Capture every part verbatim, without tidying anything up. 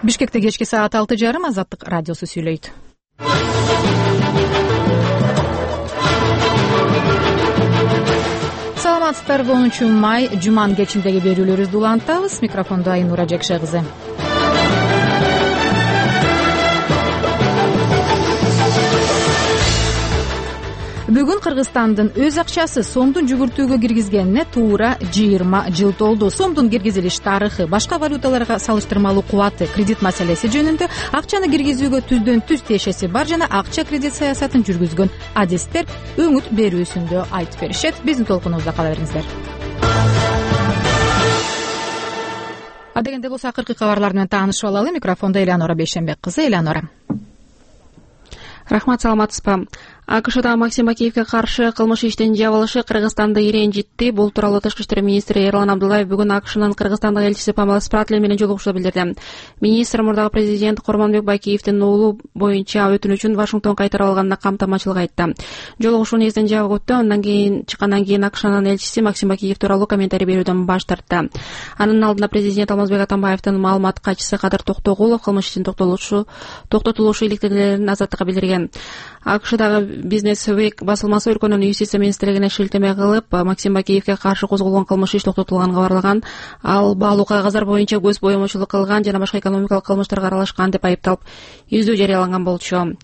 Бишкекте кечки саат алты жарым Азаттык радиосу сүйлөйт. Саламатсыздарбы? онунчу май жуманын кечиндеги берүүлөрүбүздү улантабыз. Микрофондо Айнура Жекше кызы. Бүгүн Кыргызстандын өз акчасы сомдун жүгүртүүгө киргизгенине туура жыйырма жыл толду. Сомдун киргизилиш тарыхы, башка валюталарга салыштырмалуу кубаты, кредит маселеси жөнүндө, акчаны киргизүүгө түздөн түз тиешеси бар жана акча кредит саясатын жүргүзгөн адистер өңүт берүүсүндө айтып беришет. Биздин толкунубузда кала бериңиздер. Адегенде болсо акыркы кабарлар менен таанышып алалы. Микрофондо Элеонора Бейшенбек кызы. Элеонора. Рахмат, саламатсызбы? АКШда Максим Акиевге каршы кылмыш иштин жабылышы Кыргызстанды ирэнжитти. Бул тууралуу Тышкы иштер министри Эрлан Абдуллаев бүгүн АКШнын Кыргызстандык элчиси Памела Спратле менен жолугушууда билдирди. Министр мурдагы президент Курманбек Байкеевдин уулу боюнча өтүнүчүн Вашингтон кайтарып алганына камтамачылык айтты. Жолугушууну эзден жабык өттү. Андан кийин чыккандан кийин АКШнын элчиси Максим Акиев тууралуу комментарий берүүдөн баш тартты. Анын алдында президент Алмазбек Атамбаевдин маалымат катчысы Кадыр Токтогулов кылмыш иштин токтотулушу токтотулушу иликтелерин Азаттыкка билдирген. АКШдагы Бизнес Week басылмасы өлкөнүн юстиция министрлигине шилтеме кылып, Максим Бакиевге каршы козголгон кылмыш иш токтотулганын кабарлаган. Ал баалуу кагаздар боюнча көз боемочулук кылган жана башка экономикалык кылмыштарга аралашкан деп айыпталып, издөө жарыяланган болчу.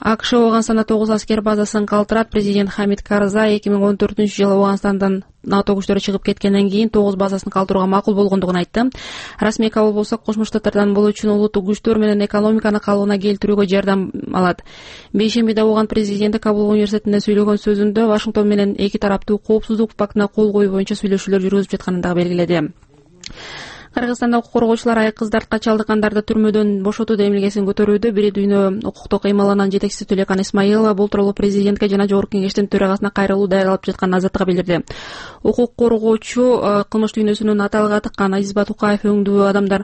АКШ Ооганстанда тогуз аскер базасын калтырат. Президент Хамид Карзай эки миң он төртүнчү жылы Ооганстандан НАТО күчтөрү чыгып кеткенден кийин тогуз базасын калтырууга макул болгондугун айтты. Расмий кабыл болсо Кошмо Штаттардан бул үчүн улуттук күчтөр менен экономиканы калыбына келтирүүгө жардам алат. Бейшембиде Ооган президенти Кабул университетинде сүйлөгөн сөзүндө Вашингтон менен эки тараптуу коопсуздук пактына кол коюу боюнча сүйлөшүүлөр жүргүзүп жатканын дагы белгиледи. Кыргызстанда укук коргоочулар айкыздарды чалдыккандарды түрмөдөн бошотуу демилгесин көтөрүүдө. Бири дүйнө укуктук кыймылынын жетекчиси Түлекан Исмаилова бул тууралуу президентке жана Жогорку Кеңештин төрагасына кайрылуу даярдалып жатканын Азаттыкка билдирди. Укук коргоочу кылмыш дүйнөсүнүн аталга тыккан Азиз Батукаев өңдүү адамдар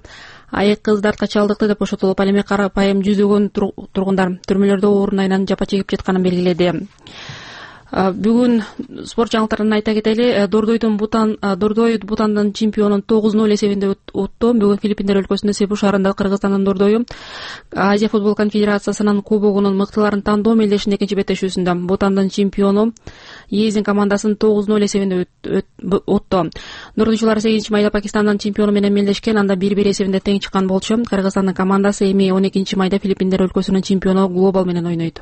айкыздарды чалдыкты деп бошотулуп, ал эми карапайым жүзөгөн тургундар түрмөлөрдө орун айынан жапа чегип жатканын белгиледи. Бүгүн спорт жаңылыктарын айта кетели. Дордойдун Бутан Дордой Бутандын чемпионун тогуз ноль эсебинде утту. Бүгүн Филиппиндер өлкөсүндө Себу шаарында Кыргызстандын Дордою Азия футбол конфедерациясынын кубогунун мыктыларын тандоо мелдешинин экинчи беттешүүсүндө Бутандын чемпиону Езин командасын тогуз ноль эсебинде утту. Дордойчулар сегизинчи майда Пакистандын чемпиону менен мелдешкен, анда бир бир эсебинде тең чыккан болчу. Кыргызстандын командасы эми он экинчи майда Филиппиндер өлкөсүнүн чемпиону Глобал менен ойнойт.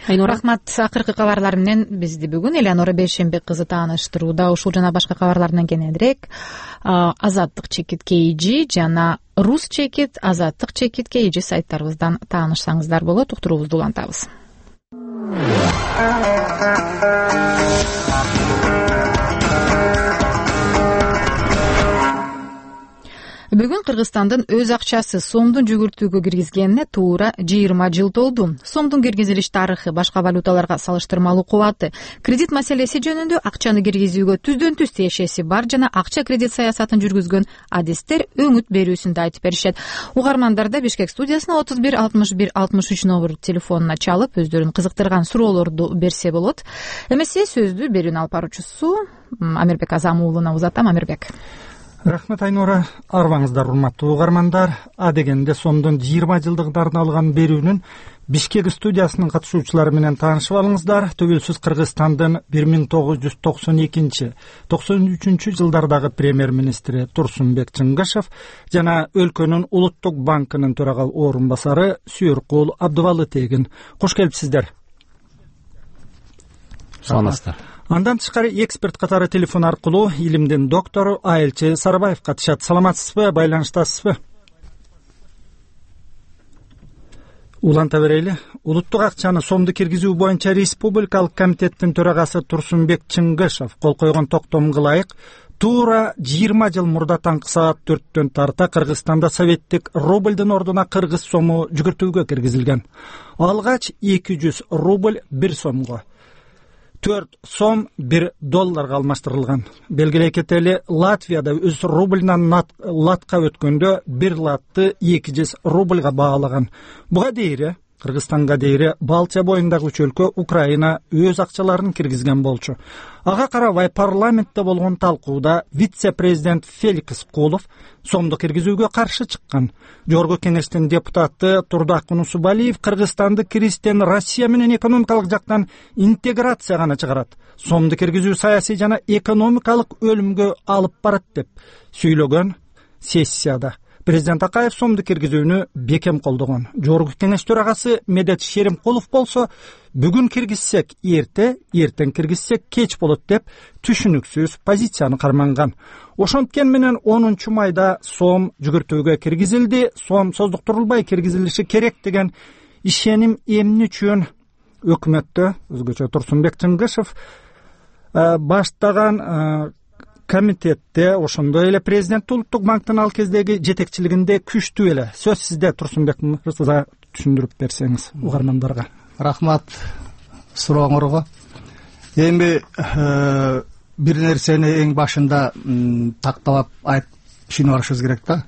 Айнура. Рахмат. Акыркы кабарлар менен бизди бүгүн Элеонора Бейшенбек кызы тааныштырууда. Ушул жана башка кабарлардан кененирээк Азаттык чекит kg жана Рус чекит Азаттык чекит kg сайттарыбыздан таанышсаңыздар болот. Уктуруубузду улантабыз. Бүгүн Кыргызстандын өз акчасы сомдун жүгүртүүгө киргизгенине туура жыйырма жыл толду. Сомдун киргизилиш тарыхы, башка валюталарга салыштырмалуу кубаты, кредит маселеси жөнүндө, акчаны киргизүүгө түздөн түз тиешеси бар жана акча кредит саясатын жүргүзгөн адистер өңүт берүүсүндө айтып беришет. Угармандар да Бишкек студиясына отуз бир алтымыш бир алтымыш үч номер телефонуна чалып, өздөрүн кызыктырган суроолорду берсе болот. Эмесе сөздү берүүнү алып баруучусу Амирбек Азам уулуна узатам. Амирбек. Рахмат, Айнура. Арбаңыздар, урматтуу угармандар. Адегенде сомдун жыйырма жылдыктарын алган берүүнүн Бишкек студиясынын катышуучулары менен таанышып алыңыздар. Төгөлсүз Кыргызстандын бир миң тогуз жүз токсон экинчи токсон үчүнчү жылдардагы премьер-министри Турсунбек Чыңгышев жана өлкөнүн улуттук банкынын төрага орун басары Сүйөркул Абдывалы Тегин. Кош келипсиздер. Саламатсыздар. Андан тышкары эксперт катары телефон аркылуу илимдин доктору Айылчы Сарыбаев катышат. Саламатсызбы, байланыштасызбы? Уланта берели. Улуттук акчаны сомду киргизүү боюнча Республикалык комитеттин төрагасы Турсунбек Чыңгышев кол койгон токтомго ылайык туура жыйырма жыл мурда таңкы саат төрттөн тарта Кыргызстанда советтик рубльдин ордуна кыргыз сому жүгүртүүгө киргизилген. Алгач эки жүз рубль бир сомго, төрт сом бир долларга алмаштырылган. Белгилей кетели, Латвияда өз рубльнан латка өткөндө бир латты эки жүз рубльга баалаган. Буга дейре Кыргызстанга дейре Балтия боюндагы үч өлкө Украина өз акчаларын киргизген болчу. Ага карабай парламентте болгон талкууда вице-президент Феликс Кулов сомду киргизүүгө каршы чыккан. Жогорку кеңештин депутаты Турдак Нусубалиев Кыргызстанды киргизден Россия менен экономикалык жактан интеграция гана чыгарат, сомду киргизүү саясий жана экономикалык өлүмгө алып барат деп сүйлөгөн сессияда. Президент Акаев сомду киргизүүнү бекем колдогон. Жогорку кеңеш төрагасы Медет Шеримкулов болсо, бүгүн киргизсек эрте, эртең киргизсек кеч болот деп түшүнүксүз позицияны карманган. Ошонткени менен онунчу майда сом жүгүртүүгө киргизилди, сом создуктурулбай киргизилиши керек деген ишеним эмне үчүн өкмөттө өзгөчө Турсунбек Чыңгышев баштаган комитетте, ошондой эле президент Улуттук банктын ал кездеги жетекчилигинде күчтүү эле. Сөз сизде, Турсунбек мырза, түшүндүрүп берсеңиз угармандарга. Рахмат сурооңорго. Эми бир нерсени эң башында тактап айтып түшүнүп алышыбыз керек да.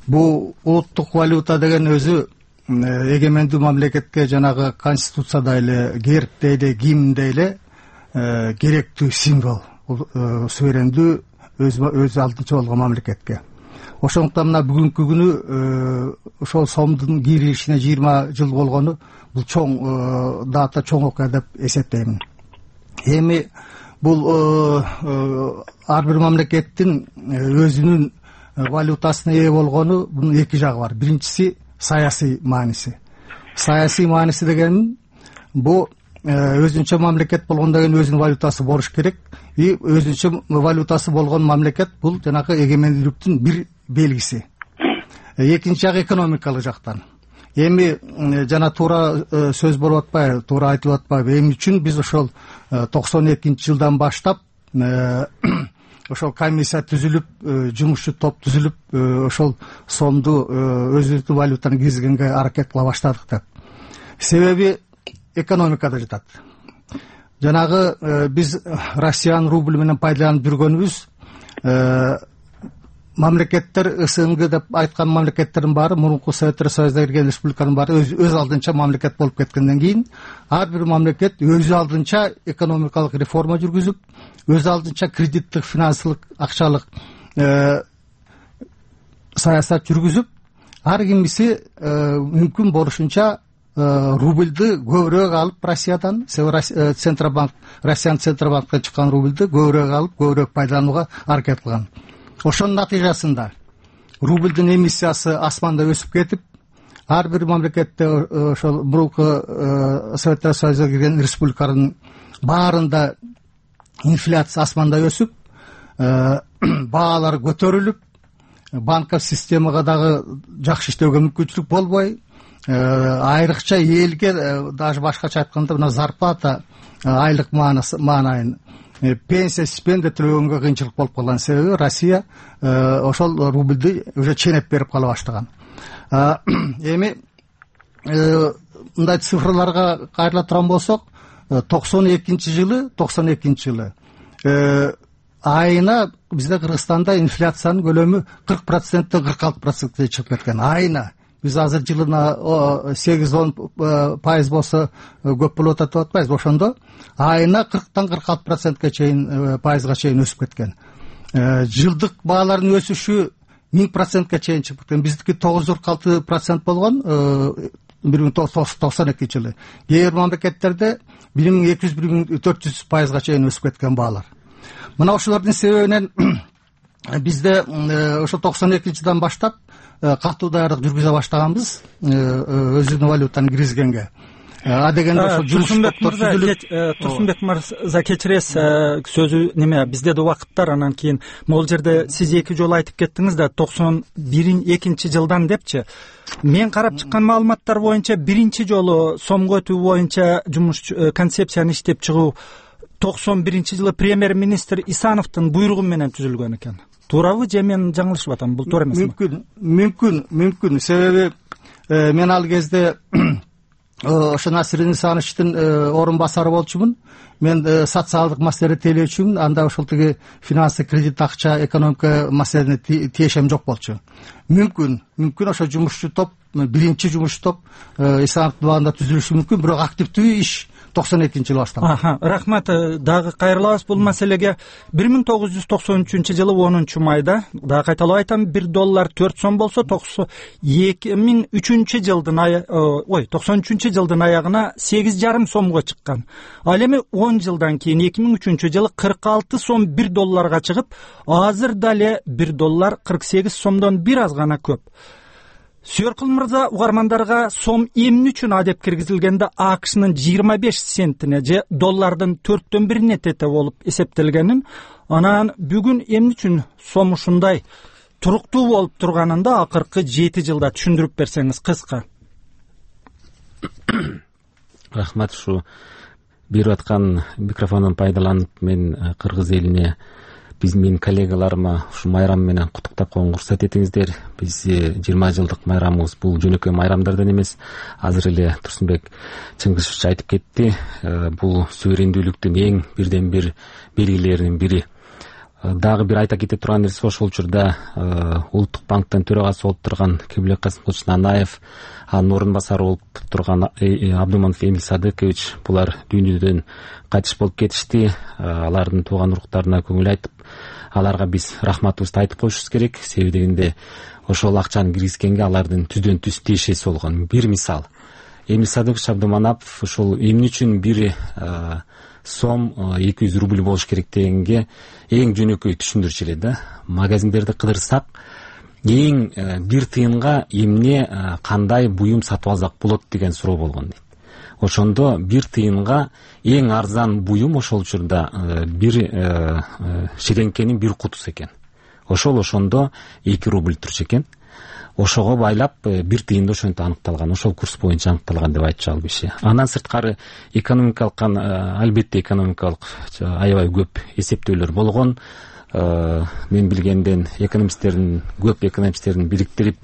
Бул улуттук валюта деген өзү эгемендүү мамлекетке жанагы конституцияда эле, гербде эле, гимнде эле керектүү символ. Суверендүү өз өз алдынча болгон мамлекетке. Ошондуктан мына бүгүнкү күнү ошол сомдун киришине жыйырма жыл болгону бул чоң дата, чоң окуя деп эсептеймин. Эми бул ар бир мамлекеттин өзүнүн валютасына ээ болгону бунун эки жагы бар. Биринчиси саясий мааниси. Саясий мааниси деген бул өзүнчө мамлекет болгондон кийин өзүнүн валютасы болуш керек. И өзүнчө валютасы болгон мамлекет бул жанагы эгемендүүлүктүн бир белгиси. Экинчи жагы экономикалык жактан. Эми жана туура сөз болуп атпайбы, туура айтып атпайбы? Эмне үчүн биз ошол токсон экинчи жылдан баштап ошол комиссия түзүлүп, жумушчу топ түзүлүп, ошол сомду өзүбүздүн валютаны киргизгенге аракет кыла баштадык деп. Себеби экономикада жатат. Жанагы биз Россиянын рубль менен пайдаланып жүргөнүбүз, мамлекеттер СНГ деп айткан мамлекеттердин баары, мурунку Советтер Союзуна кирген республиканын баары өз, өз алдынча мамлекет болуп кеткенден кийин ар бир мамлекет өз алдынча экономикалык реформа жүргүзүп, өз алдынча кредиттик, финансылык, акчалык саясат жүргүзүп, ар кимиси мүмкүн болушунча рубльды көбүрөөк алып Россиядан, Центробанк, Россиянын Центробанктан чыккан рубльды көбүрөөк алып, көбүрөөк пайдаланууга аракет кылган. Ошонун натыйжасында рубльдин эмиссиясы асманда өсүп кетип, ар бир мамлекетте ошол мурунку Советтер Союзуна кирген республикалардын баарында инфляция асманда өсүп, баалар көтөрүлүп, банковый системага дагы жакшы иштөөгө мүмкүнчүлүк болбой, айрыкча элге даже башкача айтканда мына зарплата, айлык маанайын, пенсия, стипендия төлөгөнгө кыйынчылык болуп калган. Себеби Россия ошол рубльди уже ченеп берип кала баштаган. Эми мындай цифрларга кайрыла турган болсок, токсон экинчи жылы, токсон экинчи жылы айына бизде Кыргызстанда инфляциянын көлөмү кырк проценттен кырк алты процентке чыгып кеткен. Айына биз азыр жылына сегиз он пайыз болсо көп болуп атат деп атпайбыз. Ошондо айына кырктан кырк алты процентке чейин, пайызга чейин өсүп кеткен. Жылдык баалардын өсүшү миң процентке чейин чыгып кеткен. Биздики тогуз жүз кырк алты процент болгон бир миң тогуз жүз токсон экинчи жылы. Кээ бир мамлекеттерде бир миң эки жүз, бир миң төрт жүз пайызга чейин өсүп кеткен баалар. Мына ошолордун себебинен бизде ошо токсон экинчи жылдан баштап катуу даярдык жүргүзө баштаганбыз өзүнүн валютаны киргизгенге. А дегенде ошо Турсунбек мырза, Турсунбек мырза кечиресиз, сөзү неме, бизде да убакыттар, анан кийин могул жерде сиз эки жолу айтып кеттиңиз да токсон экинчи жылдан депчи. Мен карап чыккан маалыматтар боюнча биринчи жолу сомго өтүү боюнча жумуш концепцияны иштеп чыгуу токсон биринчи жылы премьер-министр Исановдун буйругу менен түзүлгөн экен. Туурабы же мен жаңылышып атам? Бул туура эмесми? Мүмкүн, мүмкүн, мүмкүн. Себеби мен ал кезде ошо Насир Нисановичтин орун басары болчумун. Мен социалдык маселени тейлөөчүмүн. Анда ошол тиги финансы, кредит, акча, экономика маселени тиешем жок болчу. Мүмкүн, мүмкүн ошо жумушчу топ, биринчи жумуш топ Исламов абында түзүлүшү мүмкүн, бирок активдүү иш токсон экинчи жылы башталган. Рахмат. Дагы кайрылабыз бул маселеге. бир миң тогуз жүз токсон үчүнчү жылы онунчу майда, дагы кайталап айтам, бир доллар төрт сом болсо, эки миң үчүнчү жылдын ой, токсон үчүнчү жылдын аягына сегиз жарым сомго чыккан. Ал эми он жылдан кийин эки миң үчүнчү жылы кырк алты сом бир долларга чыгып, азыр дале бир доллар кырк сегиз сомдон бир аз гана көп. Сүйөркул мырза, угармандарга сом эмне үчүн адеп киргизилгенде АКШнын жыйырма беш центине же доллардын төрттөн бирине тете болуп эсептелгенин, анан бүгүн эмне үчүн сом ушундай туруктуу болуп турганында акыркы жети жылда түшүндүрүп берсеңиз кыска. Рахмат. Ушу берип аткан микрофондон пайдаланып мен кыргыз элине, биз менин коллегаларыма ушу майрам менен куттуктап койгонго уруксат этиңиздер. Биз жыйырма жылдык майрамыбыз бул жөнөкөй майрамдардан эмес. Азыр эле Турсунбек Чыңгышевич айтып кетти, бул суверендүүлүктүн эң бирден бир белгилеринин бири. Дагы бир айта кете турган нерсе, ошол учурда Улуттук банктын төрагасы болуп турган Кемелбек Касымкулович Нанаев, анын орун басары болуп турган Абдуманов Эмил Садыкович, булар дүйнөдөн кайтыш болуп кетишти. Алардын тууган уруктарына көңүл айтып, аларга биз рахматыбызды айтып коюшубуз керек. Себеби дегенде ошол акчаны киргизгенге алардын түздөн түз тиешеси болгон. Бир мисал, Эмил Садыкович Абдуманапов ошол эмне үчүн бир сом эки жүз рубль болуш керек дегенге эң жөнөкөй түшүндүрчү эле да. Магазиндерди кыдырсак, эң бир тыйынга эмне, кандай буюм сатып алсак болот деген суроо болгон дейт. Ошондо бир тыйынга эң арзан буюм ошол учурда бир ширеңкенин бир кутусу экен. Ошол ошондо эки рубль турчу экен. Ошого байлап бир тыйында ошентип аныкталган, ошол курс боюнча аныкталган деп айтчу ал киши. Андан сырткары экономикалык, албетте экономикалык аябай көп эсептөөлөр болгон. Мен билгенден экономисттердин, көп экономисттердин бириктирип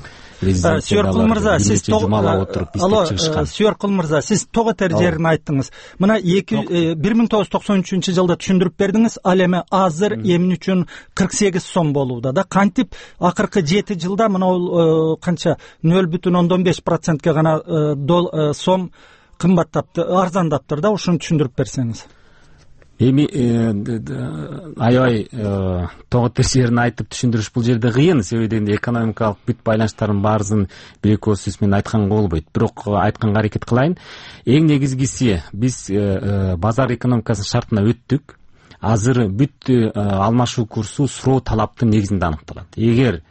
Сүйөркул мырза, сиз Сүйөркул мырза, сиз тоготер жерин айттыңыз. Мына бир миң тогуз жүз токсон үчүнчү жылда түшүндүрүп бердиңиз. Ал эми азыр эмне үчүн кырк сегиз сом болууда да? Кантип акыркы жети жылда мына ол канча нөл бүтүн ондон беш процентке гана сом кымбаттапты, арзандаптыр да? Ушуну түшүндүрүп берсеңиз. Эми аябай тоготер жерин айтып түшүндүрүш бул жерде кыйын. Себеби дегенде экономикалык бүт байланыштардын баарысын бир эки ооз сөз менен айтканга болбойт. Бирок айтканга аракет кылайын. Эң негизгиси, биз базар экономикасынын шартына өттүк. Азыр бүт алмашуу курсу суроо талаптын негизинде аныкталат. Эгер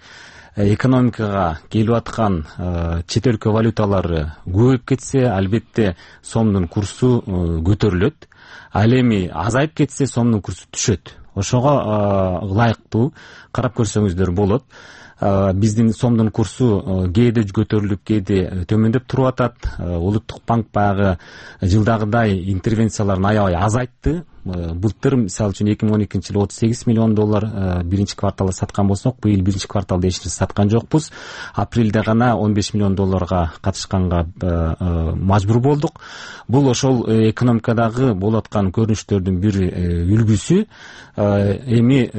экономикага келип аткан чет өлкө валюталары көбөйүп кетсе, албетте сомдун курсу көтөрүлөт. Ал эми азайып кетсе, сомдун курсу түшөт. Ошого ылайыктуу карап көрсөңүздөр болот. Биздин сомдун курсу кээде көтөрүлүп, кээде төмөндөп туруп атат. Улуттук банк баягы жылдагыдай интервенцияларын аябай азайтты. Былтыр мисалы үчүн эки миң он экинчи жылы отуз сегиз миллион доллар биринчи кварталда саткан болсок, быйыл биринчи кварталда эч нерсе саткан жокпуз. Апрелде гана он беш миллион долларга катышканга мажбур болдук. Бул ошол экономикадагы болуп аткан көрүнүштөрдүн бир үлгүсү. Эми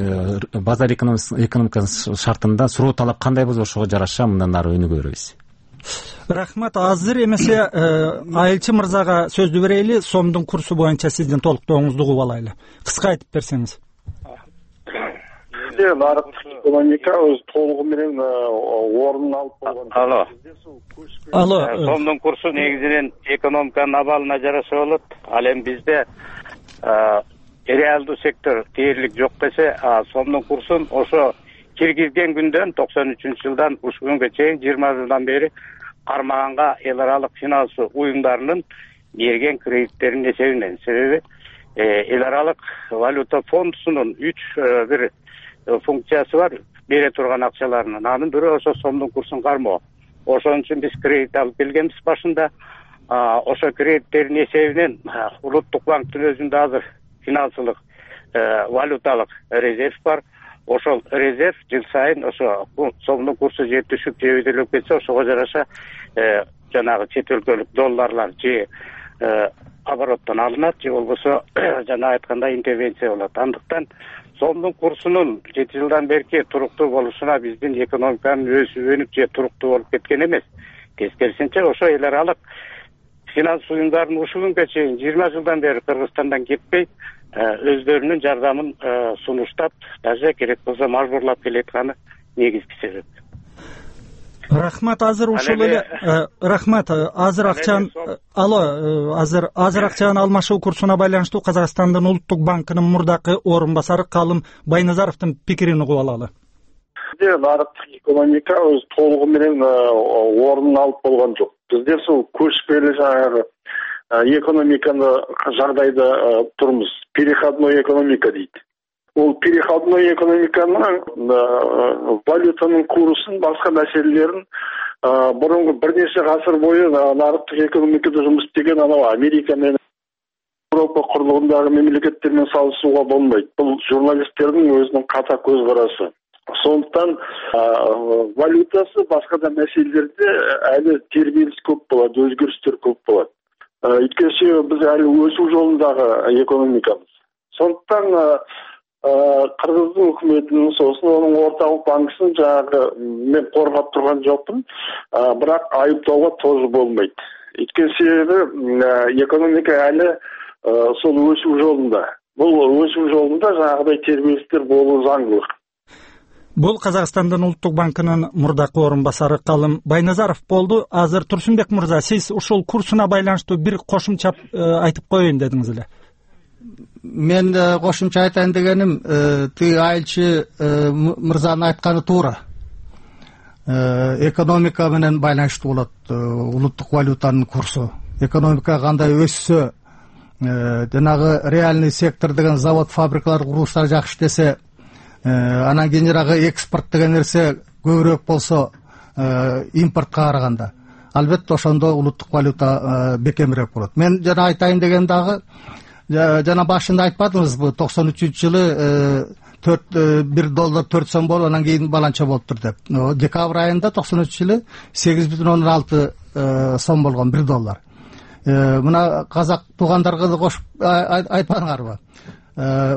базар экономикасынын шартында суроо талап кандай болсо ошого жараша мындан ары өнүгө беребиз. Рахмат. Азыр эмесе Айылчы мырзага сөздү берели, сомдун курсу боюнча сиздин толуктооңузду угуп алайлы. Кыска айтып берсеңиз. Нарыктык экономика өз толугу менен ордун алып болгон. Алло. Алло. Сомдун курсу негизинен экономиканын абалына жараша болот. Ал эми бизде реалдуу сектор дээрлик жок десе, сомдун курсун ошо киргизген күндөн токсон үчүнчү жылдан ушул күнгө чейин жыйырма жылдан бери кармаганга эл аралык финансы уюмдарынын берген кредиттеринин эсебинен. Себеби эл аралык валюта фондунун үч бир функциясы бар, бере турган акчаларынын. Анын бирөө ошо сомдун курсун кармоо. Ошон үчүн биз кредит алып келгенбиз башында. Ошо кредиттердин эсебинен Улуттук банктын өзүндө азыр финансылык валюталык резерв бар. Ошол резерв жыл сайын ошо сомдун курсу же түшүп же өйдөлөп кетсе, ошого жараша жанагы чет өлкөлүк долларлар же обороттон алынат же болбосо жана айткандай интервенция болот. Андыктан сомдун курсунун жети жылдан берки туруктуу болушуна биздин экономиканын өсүп өнүп же туруктуу болуп кеткен эмес. Тескерисинче ошо эл аралык финанс уюмдарын ушул күнгө чейин жыйырма жылдан бери Кыргызстандан кетпей өздөрүнүн жардамын сунуштап, даже керек болсо мажбурлап келатканы негизги себеп. Рахмат. Азыр ушул эле рахмат. Азыр акчаны алло, азыр азыр акчанын алмашуу курсуна байланыштуу Казакстандын улуттук банкынын мурдакы орун басары Калым Байназаровдун пикирин угуп алалы. Нарыктык экономика өз толугу менен ордун алып болгон жок. Бизде сол көчпелүү жанагы экономиканы жагдайда турмуз. Переходной экономика дейт. Ол переходной экономиканын валютанын курсун, башка маселелерин мурунку бир нече гасыр бою нарыктык экономикада жумуш истеген анау Америка менен Европа курлугундагы мемлекеттер менен салыштырууга болбойт. Бул журналисттердин өзүнүн ката көз карашы. Сондуктан валютасы башка да маселелерде али тербелиш көп болот, өзгөрүштөр көп болот. Өйткөнчү биз али өсүү жолундагы экономикабыз. Сондуктан Кыргыздын өкмөтүнүн сосын онун орталык банкысын жанагы мен коргоп турган жокмун, бирок айыптоого тоже болбойт. Өйткөн себеби экономика али сол өсүү жолунда. Бул өсүү жолунда жанагыдай тербелиштер болуу заңдуулук. Бул Казакстандын улуттук банкынын мурдакы орун басары Калым Байназаров болду. Азыр Турсунбек мырза, сиз ушул курсуна байланыштуу бир кошумча айтып коеюн дедиңиз эле. Мен кошумча айтайын дегеним, тиги айылчы мырзанын айтканы туура. Экономика менен байланыштуу болот улуттук валютанын курсу. Экономика кандай өссө, жанагы реальный сектор деген завод, фабрикалар, курулуштар жакшы иштесе, анан кийин жанагы экспорт деген нерсе көбүрөөк болсо импортко караганда, албетте ошондо улуттук валюта бекемирээк болот. Мен жана айтайын деген дагы, жана башында айтпадыңызбы, токсон үчүнчү жылы төрт бир доллар төрт сом болуп, анан кийин баланча болуптур деп. Декабрь айында токсон үчүнчү жылы сегиз бүтүн ондон алты сом болгон бир доллар. Мына казак туугандарга да кошуп айтпадыңарбы?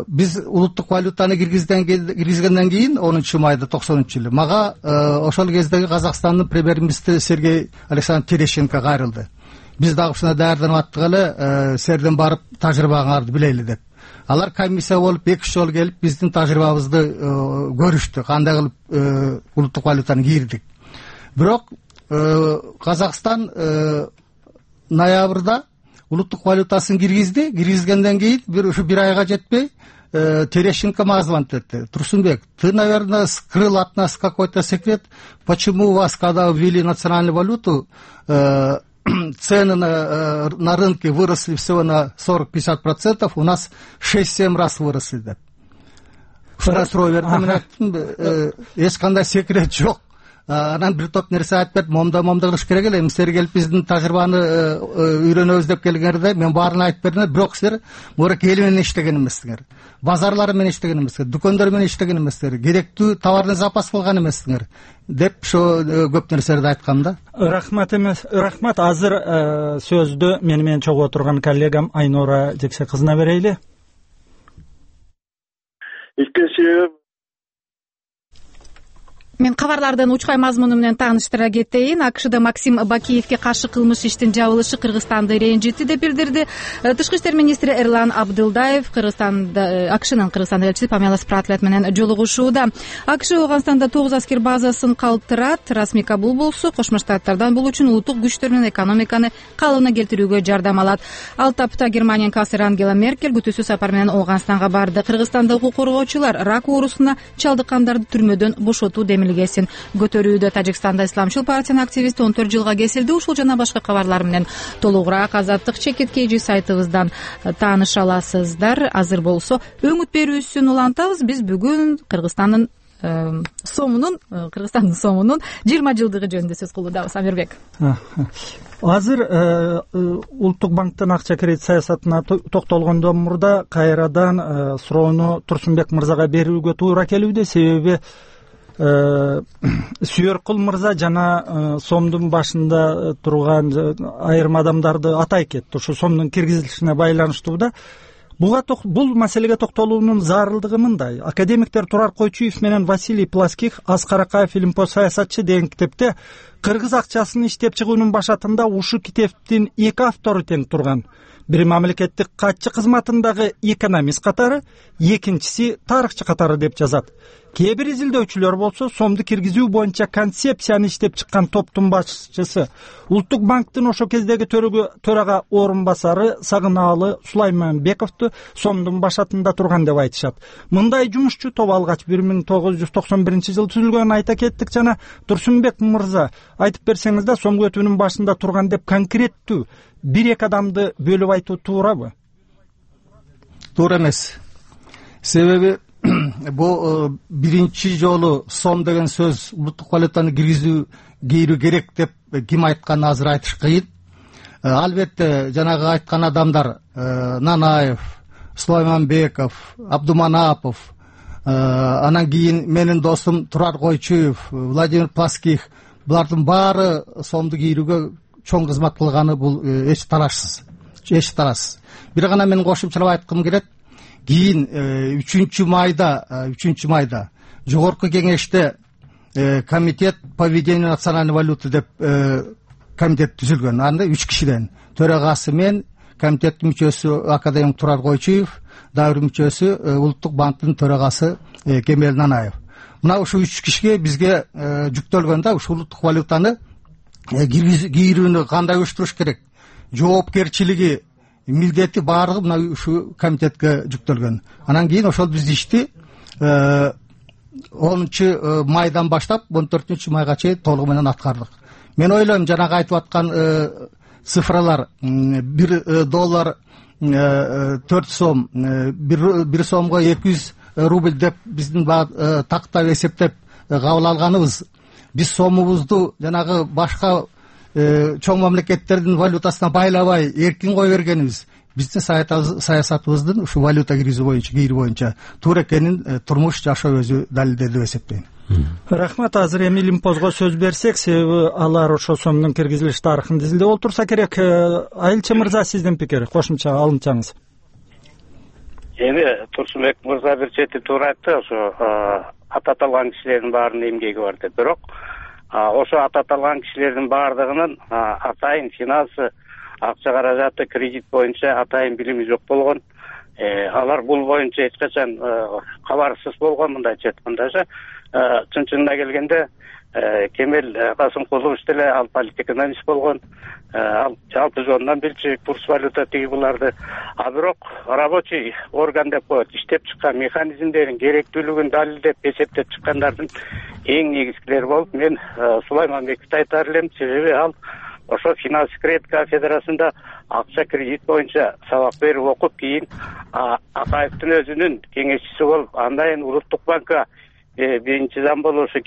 Биз улуттук валютаны киргизгенден кийин онунчу майда токсон үчүнчү жылы мага ошол кездеги Казакстандын премьер-министри Сергей Александрович Терещенко кайрылды. Биз дагы ушуна даярданып аттык эле, силерден барып тажрыйбаңарды билели деп. Алар комиссия болуп эки үч жолу келип биздин тажрыйбабызды көрүштү, кандай кылып улуттук валютаны кирдик. Бирок Казакстан ноябрда улуттук валютасын киргизди. Киргизгенден кийин бир ушу бир айга жетпей Терещенко мага звонить этти. Турсунбек, ты, наверное, скрыл от нас какой-то секрет, почему у вас, когда ввели национальную валюту, цены на, на рынке выросли всего на сорок-пятьдесят процентов, у нас шесть-семь раз выросли. Да. Суроо бердим, мен айттым, эч кандай секрет жок. Анан бир топ нерсе айтып бердим, момда момда кылыш керек эле. Силер келип биздин тажрыйбаны үйрөнөбүз деп келгендерде мен баарын айтып бердим, бирок силер мурак эл менен иштеген эмессиңер. Базарлар менен иштеген эмессиңер, дүкөндөр менен иштеген эмессиңер, керектүү товарный запас кылган эмессиңер деп ошо көп нерселерди айткам да. Рахмат эмес, рахмат. Азыр сөздү мени менен чогуу отурган коллегам Айнура Жексе кызына берейли. Иккенчи Мен кабарлардын учкай мазмуну менен тааныштыра кетейин. АКШда Максим Бакиевке каршы кылмыш иштин жабылышы Кыргызстанды ренжитти деп билдирди Тышкы иштер министри Эрлан Абдылдаев. Кыргызстанда АКШнын Кыргызстандагы элчиси Памела Спратлет менен жолугушууда. АКШ Ооганстанда тогуз аскер базасын калтырат. Расмий кабыл болсо, Кошмо Штаттардан бул үчүн улуттук күчтөр менен экономиканы калыбына келтирүүгө жардам алат. Ал тапта Германиянын канцлери Ангела Меркель күтүүсүз сапар менен Ооганстанга барды. Кыргызстанда укук коргоочулар рак оорусуна чалдыккандарды түрмөдөн бошотуу демилгесин көтөрүүдө. Тажикстанда Исламчыл партиянын активисти он төрт жылга кесилди. Ушул жана башка кабарлар менен толугураак Азаттык чекит kg сайтыбыздан тааныша аласыздар. Азыр болсо өңүт берүүсүн улантабыз. Биз бүгүн Кыргызстандын сомунун Кыргызстандын сомунун жыйырма жылдыгы жөнүндө сөз кылуудабыз. Амирбек. Азыр улуттук банктын акча кредит саясатына токтолгондон мурда кайрадан суроону Турсунбек мырзага берүүгө туура келүүдө. Себеби Сүйөркул мырза жана сомдун башында турган айрым адамдарды атай кетти ошо сомдун киргизилишине байланыштуу да. Буга бул маселеге токтолуунун зарылдыгы мындай. Академиктер Турар Койчуев менен Василий Плоских Аскар Акаев Илимпоз саясатчы деген китепте кыргыз акчасын иштеп чыгуунун башатында ушул китептин эки автору тең турган. Бири мамлекеттик катчы кызматындагы экономист катары, экинчиси тарыхчы катары деп жазат. Кээ бир изилдөөчүлөр болсо сомду киргизүү боюнча концепцияны иштеп чыккан топтун башчысы Улуттук банктын ошо кездеги төрага орун басары Сагынаалы Сулайманбековду сомдун башатында турган деп айтышат. Мындай жумушчу топ алгач бир миң тогуз жүз токсон биринчи жылы түзүлгөнүн айта кеттик жана Турсунбек мырза айтып берсеңиз да сом көтүүнүн башында турган деп конкреттүү бир эки адамды бөлүп айтуу туурабы? Туура эмес. Себеби бул биринчи жолу сом деген сөз улуттук валютаны киргизүү кийрүү керек деп ким айтканын азыр айтыш кыйын. Албетте жанагы айткан адамдар Нанаев, Сулайманбеков, Абдуманапов, анан кийин менин досум Турар Койчуев, Владимир Плоских, булардын баары сомду кийрүүгө чоң кызмат кылганы бул эч талашсыз, эч талашсыз. Бир гана мен кошумчалап айткым келет. Кийин үчүнчү майда, үчүнчү майда жогорку кеңеште комитет по ведению национальной валюты деп комитет түзүлгөн. Анда үч кишиден төрагасы мен, комитеттин мүчөсү академик Турар Койчуев, дагы бир мүчөсү Улуттук банктын төрагасы Кемел Нанаев. Мына ушул үч кишиге бизге жүктөлгөн да ушул улуттук валютаны кийрүүнү кандай уюштуруш керек, жоопкерчилиги, милдети баардыгы мына ушул комитетке жүктөлгөн. Анан кийин ошол биз ишти онунчу майдан баштап он төртүнчү майга чейин толугу менен аткардык. Мен ойлойм жанагы айтып аткан цифралар бир доллар төрт сом, бир сомго эки жүз рубль деп биздин тактап эсептеп кабыл алганыбыз, биз сомубузду жанагы башка чоң мамлекеттердин валютасына байлабай эркин кое бергенибиз биздин саясатыбыздын ушу валюта киргизүү боюнча, кийрүү боюнча туура экенин турмуш жашоо өзү далилдеди деп эсептейм. Рахмат. Азыр эми Илимпозго сөз берсек, себеби алар ошо сомдун киргизилиш тарыхын изилдеп олтурса керек. Айылчы мырза, сиздин пикир, кошумча алынчаңыз. Эми Турсунбек мырза бир чети туура айтты, ошо ататалган кишилердин баарынын эмгеги бар деп. Бирок ошо ататалган кишилердин баардыгынын атайын финансы, акча каражаты, кредит боюнча атайын билими жок болгон. Алар бул боюнча эч качан кабарсыз болгон. Мындайча айткандачы, чын-чынына келгенде Кемел Касымкулович деле ал политэкономист болгон, ал жалпы жонунан билчү курс валюта тиги буларды. А бирок рабочий орган деп коет, иштеп чыккан механизмдерин керектүүлүгүн далилдеп эсептеп чыккандардын эң негизгилери болуп мен Сулайманбековду айтар элем. Себеби ал ошо финанс кредит кафедрасында акча кредит боюнча сабак берип окуп, кийин Акаевдин өзүнүн кеңешчиси болуп, андан Улуттук банкка биринчи зам болуп ошо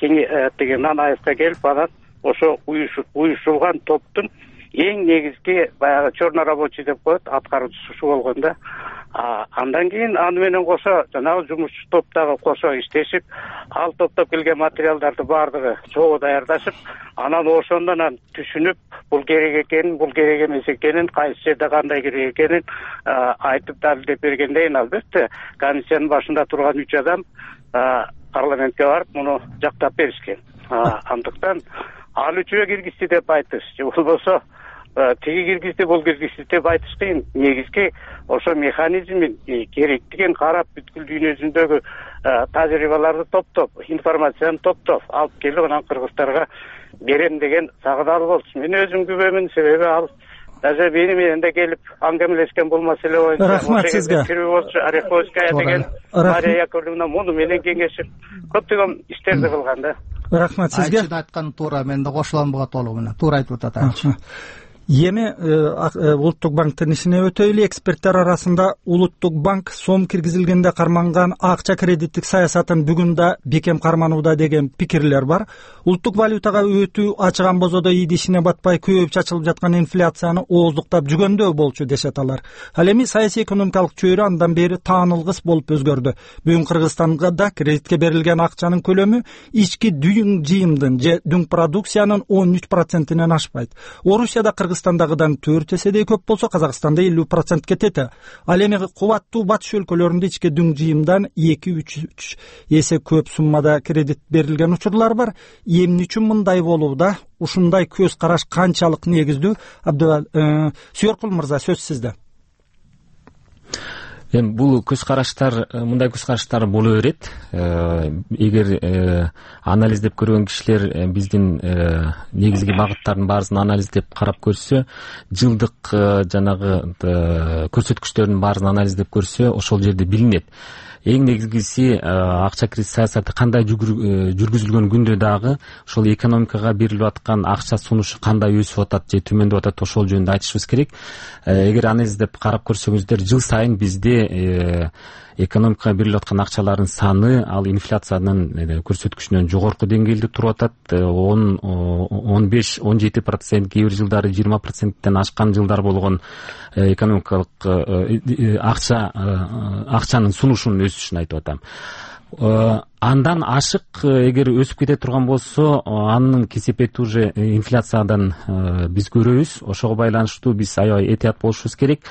деген Нанаевка келип, анан ошо уюшулган топтун эң негизги баягы черный рабочий деп коет, аткаруучусу болгон да. Андан кийин аны менен кошо жанагы жумушчу топтогу кошо иштешип, ал топтоп келген материалдарды баардыгы чогуу даярдашып, анан ошондон түшүнүп, бул керек экенин, бул керек эмес экенин, кайсы жерде кандай керек экенин айтып далилдеп бергенден албетте комиссиянын башында турган үч адам парламентке барып муну жактап беришкен. Андыктан ал үчөө киргизди деп айтыш, же болбосо тиги киргизди, бул киргизди деп айтыш кыйын. Негизги ошо механизмин керектигин карап, бүткүл дүйнө жүзүндөгү тажрыйбаларды топтоп, информацияны топтоп алып келип, анан кыргыздарга берем деген Сагынаалы болчу. Мен өзүм күбөмүн, себеби ал даже мени менен да келип аңгемелешкен бул маселе боюнча. Рахмат сизге. Ореховская деген Мария Яковлевна муну менен кеңешип көптөгөн иштерди кылган да. Рахмат сизге. Айчы айткан туура, мен да кошулам буга толугу менен. Туура айтып атат айчы. эми улуттук банктын ишине өтөйлү. Эксперттер арасында улуттук банк сом киргизилгенде карманган акча кредиттик саясатын бүгүн да бекем карманууда деген пикирлер бар. Улуттук валютага өтүү ачыган бозодо ийди ишине батпай көбүп чачылып жаткан инфляцияны ооздуктап жүгөндөө болчу дешет алар. Ал эми саясий экономикалык чөйрө андан бери таанылгыс болуп өзгөрдү. Бүгүн Кыргызстанга да кредитке берилген акчанын көлөмү ички дүң жыйымдын же дүң продукциянын он үч процентинен ашпайт. Орусияда Кыргызстандагыдан төрт эседей көп болсо, Казакстанда элүү процентке тете. Ал эми кубаттуу батыш өлкөлөрүндө ички дүң жыйымдан эки үч эсе көп суммада кредит берилген учурлар бар. Эмне үчүн мындай болууда? Ушундай көз караш канчалык негиздүү? Абдывал Сүйөркул мырза, сөз сизде. Эми бул көз караштар, мындай көз караштар боло берет. Эгер анализдеп көргөн кишилер биздин негизги багыттардын баарысын анализдеп карап көрсө, жылдык жанагы көрсөткүчтөрдүн баарысын анализдеп көрсө, ошол жерде билинет. Эң негизгиси акча кредит саясаты кандай жүргүзүлгөн күндө дагы ошол экономикага берилип аткан акча сунушу кандай өсүп атат же төмөндөп атат, ошол жөнүндө айтышыбыз керек. Эгер анализдеп карап көрсөңүздөр, жыл сайын бизде экономикага берилип аткан акчалардын саны ал инфляциянын көрсөткүчүнөн жогорку деңгээлде туруп атат. он беш он жети процент, кээ бир жылдары жыйырма проценттен ашкан жылдар болгон экономикалык акча акчанын сунушунун өсүшүн айтып атам. Андан ашык эгер өсүп кете турган болсо, анын кесепети уже инфляциядан биз көрөбүз. Ошого байланыштуу биз аябай этият болушубуз керек.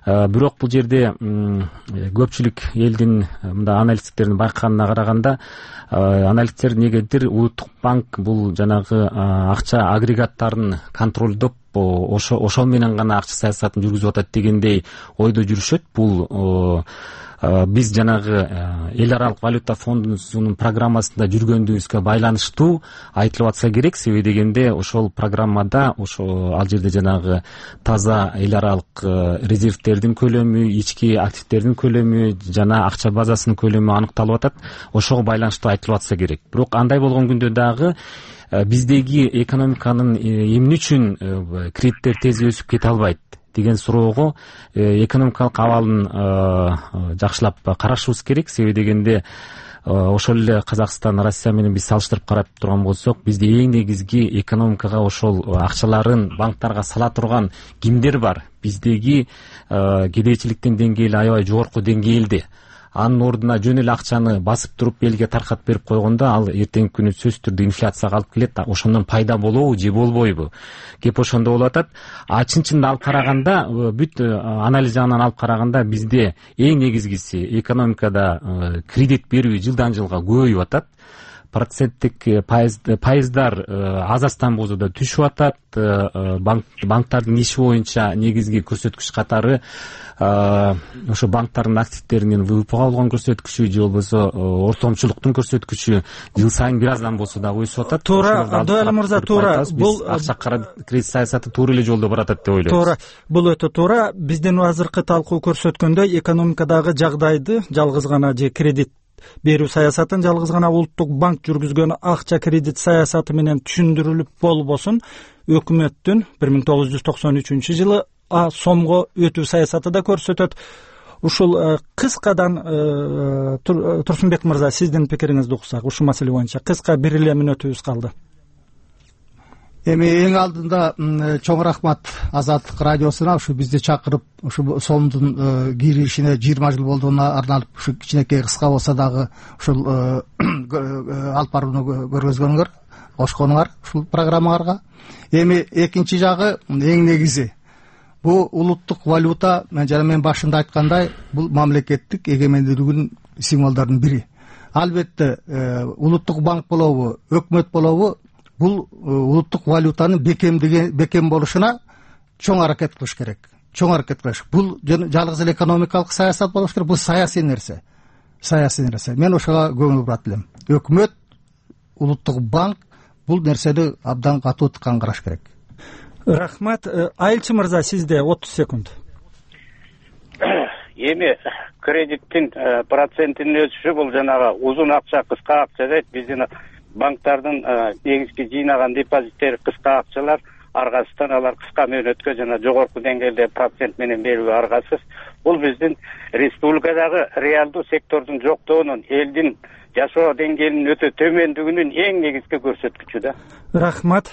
Бирок бул жерде көпчүлүк элдин мындай аналитиктердин байкаганына караганда, аналиттер негедир улуттук банк бул жанагы акча агрегаттарын контролдоп, ошол менен гана акча саясатын жүргүзүп атат дегендей ойдо жүрүшөт. Бул биз жанагы эл аралык валюта фондунун программасында жүргөндүбүзгө байланыштуу айтылып атса керек. Себеби дегенде ошол программада ошо ал жерде жанагы таза эл аралык резервтердин көлөмү, ички активдердин көлөмү жана акча базасынын көлөмү аныкталып атат. Ошого байланыштуу айтылып атса керек. Бирок андай болгон күндө дагы биздеги экономиканын эмне үчүн кредиттер тез өсүп кете албайт деген суроого экономикалык абалын жакшылап карашыбыз керек. Себеби дегенде ошол эле Казакстан, Россия менен биз салыштырып карап турган болсок, бизде эң негизги экономикага ошол акчаларын банктарга сала турган кимдер бар? Биздеги кедейчиликтин деңгээли аябай жогорку деңгээлде. Анын ордуна жөн эле акчаны басып туруп элге таркатып берип койгондо, ал эртеңки күнү сөзсүз түрдө инфляцияга алып келет. Ошондон пайда болобу же болбойбу? Кеп ошондо болуп атат. А чын-чынында алып караганда, бүт анализ жагынан алып караганда, бизде эң негизгиси экономикада кредит берүү жылдан жылга көбөйүп атат. Проценттик пайыздар азастан бозодо түшүп атат. Банктардын иши боюнча негизги көрсөткүч катары ошо банктардын активдеринин ВВПга болгон көрсөткүчү же болбосо ортомчулуктун көрсөткүчү жыл сайын бир аздан болсо дагы өсүп атат. Туура, Абдывали мырза, туура. Бул акча кредит саясаты туура эле жолдо баратат деп ойлойбуз. Туура, бул өтө туура. Биздин азыркы талкуу көрсөткөндөй, экономикадагы жагдайды жалгыз гана же кредит берүү саясатын жалгыз гана улуттук банк жүргүзгөн акча кредит саясаты менен түшүндүрүлүп болбосун, өкмөттүн бир миң тогуз жүз токсон үчүнчү жылы сомго өтүү саясаты да көрсөтөт. Ушул кыскадан Турсунбек мырза, сиздин пикириңизди уксак ушул маселе боюнча. Кыска бир эле мүнөтүбүз калды. Эми эң алдында чоң рахмат Азаттык радиосуна ушу бизди чакырып, ушу сомдун киришине жыйырма жыл болдугуна арналып, ушу кичинекей кыска болсо дагы ушул алып барууну көргөзгөнүңөр, кошконуңар ушул программаңарга. Эми экинчи жагы, эң негизи бул улуттук валюта, мен жана мен башында айткандай, бул мамлекеттик эгемендүүлүгүнүн символдорунун бири. Албетте улуттук банк болобу, өкмөт болобу, бул улуттук валютанын бекемдиги бекем болушуна чоң аракет кылыш керек. Чоң аракет кылыш. Бул жалгыз эле экономикалык саясат болуш керек, бул саясий нерсе. Саясий нерсе. Мен ошого көңүл бурат элем. Өкмөт, улуттук банк бул нерсени абдан катуу тыккан караш керек. Рахмат. Айылчы мырза, сизде отуз секунд. Эми кредиттин процентинин өсүшү бул жанагы узун акча, кыска акча дейт. Биздин банктардын негизги жыйнаган депозиттери кыска акчалар. аргасыздан алар кыска мөөнөткө жана жогорку деңгээлде процент менен берүү аргасыз. Бул биздин республикадагы реалдуу сектордун жоктугунун, элдин жашоо деңгээлинин өтө төмөндүгүнүн эң негизги көрсөткүчү да. Рахмат.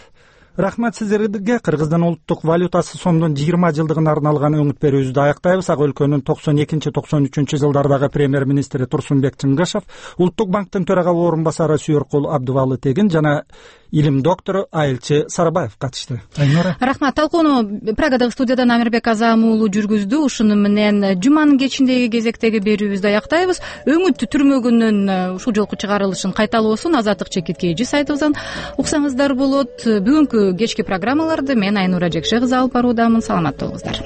Рахмат сиздерге. Кыргыздын улуттук валютасы сомдун жыйырма жылдыгына арналган өңүт берүүбүздү аяктай,быз. Ак өлкөнүн токсон экинчи токсон үчүнчү жылдардагы премьер министри Турсунбек Чыңгышев, Улуттук банктын төрага орун басары Сүйөркул Абдыбалы Тегин жана илим доктору Айылчы Сарыбаев катышты. Айнура. Рахмат. Талкууну Прагадағы студиядан Амирбек Азам уулу жүргүздү. Ушуну менен жуманын кечиндеги кезектеги берүүбүздү аяктай,быз. Өңүт түрмөгүнүн ушул жолку чыгарылышын кайталоосун Азаттык Чекиткейжи сайтыбыздан уксаңыздар болот. Бүгүнкү кечки программаларды мен Айнура Жекше кызы алып баруудамын. Саламатта болуңуздар.